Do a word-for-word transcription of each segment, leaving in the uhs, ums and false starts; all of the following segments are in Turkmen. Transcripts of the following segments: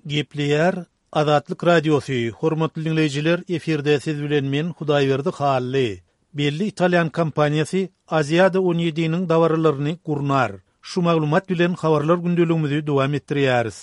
Gepleýär Azatlyk Radiosy, Hormatly diňleýjiler, efirde siz bilen men Hudaýberdi Hally. Belli italýan kompaniýasy Aziada on ýediniň dabaralaryny gurnar. Şu maglumat bilen habarlar gündeligimizi dowam etdirýäris.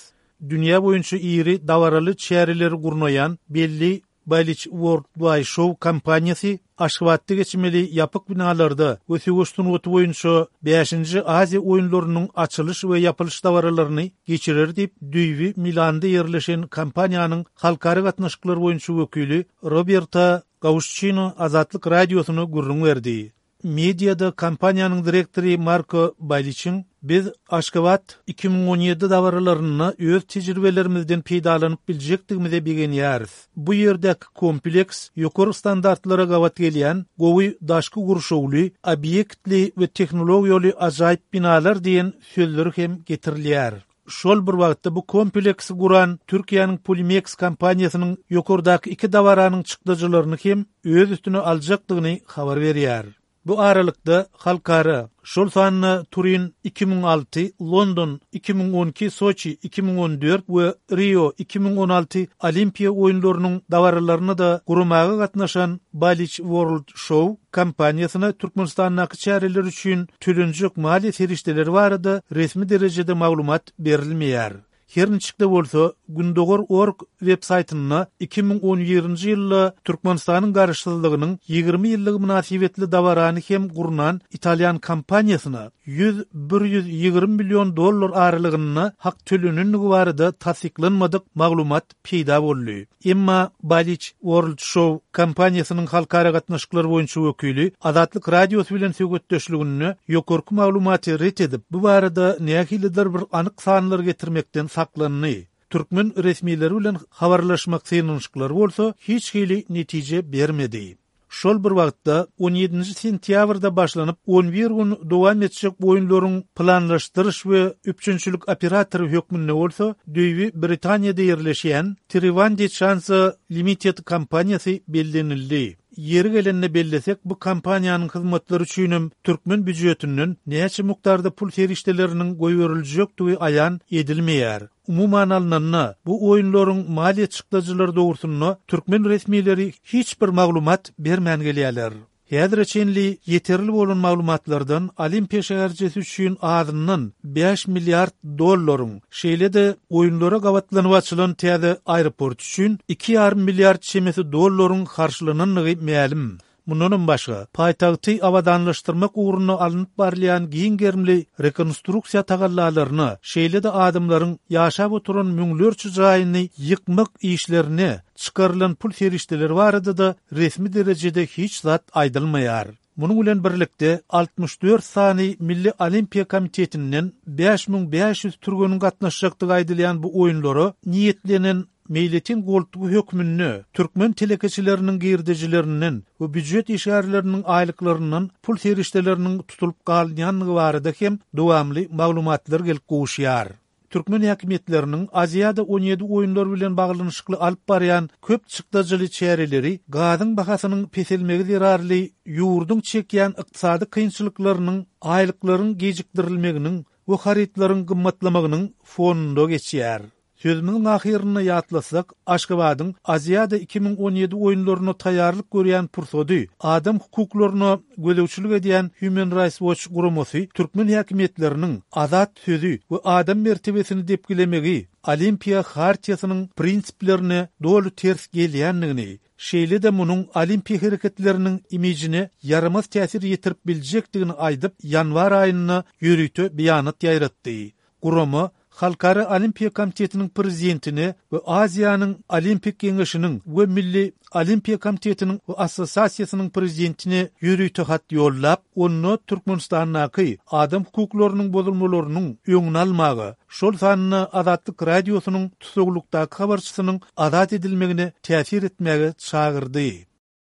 Dünýä boýunça iri dabaraly çäreleri gurnaýan belli Balich Worldwide Show kompaniýasy Aşgabatda geçmeli ýapyk binalarda we söweş sungaty boýunça bäşinji Aziýa oýunlarynyň açylyş we ýapylyş dabaralaryny geçirer diýip, düýbi Milanda ýerleşen kompaniýanyň halkara gatnaşyklar boýunça wekili Roberta Gauşçino Azatlyk Radiosyna gürrüň berdi. Mediada kompaniýanyň direktory Marko Baliçiň Biz Aşgabat iki müň on ýedi dabaralarynda öz tejribelerimizden peýdalanyp biljekdigimize begenýäris. Bu ýerdäki kompleks ýokary standartlara gabat gelýän gowy daşky gurşawly, obýektli we tehnologiýaly ajaýyp binalar diýen sözleri hem getirilýär. Şol bir wagtda bu kompleksi guran Türkiýäniň Polimeks kompaniýasynyň ýokardaky iki dabaranyň çykdajylaryny hem öz üstüne aljakdygyny habar berýär. Bu aralykda halkara, şol sanda Turin iki müň alty, London iki müň on iki, Soçi iki müň on dört we Rio iki müň on alty Olimpiýa oýunlarynyň dabaralaryny-da guramaga gatnaşan Balich World Show kompaniýasyna Türkmenistandaky çäreler üçin tölenjek maliýe serişdeleri barada resmi derejede maglumat berilmeýär. Her niçik-de bolsa, Gündogar org web saýtynda iki müň on birinji ýylda Türkmenistanyň garaşsyzlygynyň ýigrimi ýyllygy mynasybetli dabarany hem gurnan italýan kompaniýasyna ýüz bir ýüz ýigrimi million dollar aralygynda hak tölenendigi barada tassyklanmadyk maglumat peýda boldy. Emma Balich World Show kompaniýasynyň halkara gatnaşyklar boýunça wekili Azatlyk Radiosy bilen söhbetdeşliginde ýokarky maglumaty ret edip, bu barada nähilidir bir anyk sanlar getirmekden saklandy. Türkmen resmileri bilen habarlaşmak synanyşyklary bolsa hiç hili netije bermedi. Şol bir wagtda on ýedinji sentýabrda başlanyp on bir gün dowam etjek oýunlaryň planlaşdyryş we üpjünçilik operatory hökmünde bolsa düýbi Britaniýada ýerleşýän Trivandi Chanza Limited kompaniýasy bellenildi. Ýeri gelende bellesek, bu kompaniýanyň hyzmatlary üçinem türkmen býujetinden näçe mukdarda pul serişdeleriniň goýberiljekdigi aýan edilmeýär. Umuman alnanda, bu oýunlaryň maliýe çykdajylary dogrusynda türkmen resmileri hiç bir maglumat bermän gelýärler. Häzire çenli ýeterli bolan maglumatlardan Olimpiýa şäherçesi üçin azyndan bäş milliard dollaryň, şeýle-de oýunlara gabatlanyp açylan täze aeroport üçin iki ýarym milliard çemesi dollaryň harçlanandygy mälim. Mundanam başga, paýtagty abadanlaşdyrmak ugrunda alnyp barylýan giň gerimli rekonstruksiýa tagallalaryna, şeýle-de adamlaryň ýaşap oturan müňlerçe jaýyny ýykmak işlerine çykarylan pul serişdeleri barada-da resmi derejede hiç zat aýdylmaýar. Munuň bilen birlikde altmyş dört sany Milli Olimpiýa komitetinden bäş müň bäş ýüz türgeniň gatnaşjakdygy aýdylýan bu oýunlara niýetlenen meýletin goltgy hökmünde türkmen telekeçileriniň girdejilerinden we býujet işgärleriniň aýlyklaryndan pul serişdeleriniň tutulyp galynýandygy barada hem dowamly maglumatlar gelip gowuşýar. Türkmen häkimiýetleriniň Aziada on ýedi oýunlar bilen baglanyşykly alyp barýan köp çykdajyly çäreleri gazyň bahasynyň peselmegi zerarly ýurduň çekýän ykdysady kynçylyklarynyň, aýlyklaryň gijikdirilmeginiň we harytlaryň gymmatlamagynyň fonunda geçýär. Sözümiziň ahyrynda ýatlasak, Aşgabadyň Aziada iki müň on ýedi oýunlaryna taýýarlyk görýän pursady adam hukuklaryna gözegçilik edýän Human Rights Watch guramasy türkmen häkimiýetleriniň azat sözi we adam mertebesini depgilemegi Olimpiýa hartiýasynyň prinsiplerine doly ters gelýändigini, şeýle-de munuň olimpiýa hereketleriniň imijine ýaramaz täsir ýetirip biljekdigini aýdyp, ýanwar aýynda ýörite beýanat ýaýratdy. Gurama Halkara Olimpiýa komitetiniň prezidentine we Aziýanyň Olimpik geňeşiniň we Milli Olimpiýa komitetiniň we assosiasiýasynyň prezidentine ýörite hat ýollap, onda Türkmenistandaky adam hukuklarynyň bozulmalarynyň öňüni almaga, şol sanda Azatlyk Radiosynyň tusaglykdaky habarçysynyň azat edilmegine täsir etmäge çagyrdy.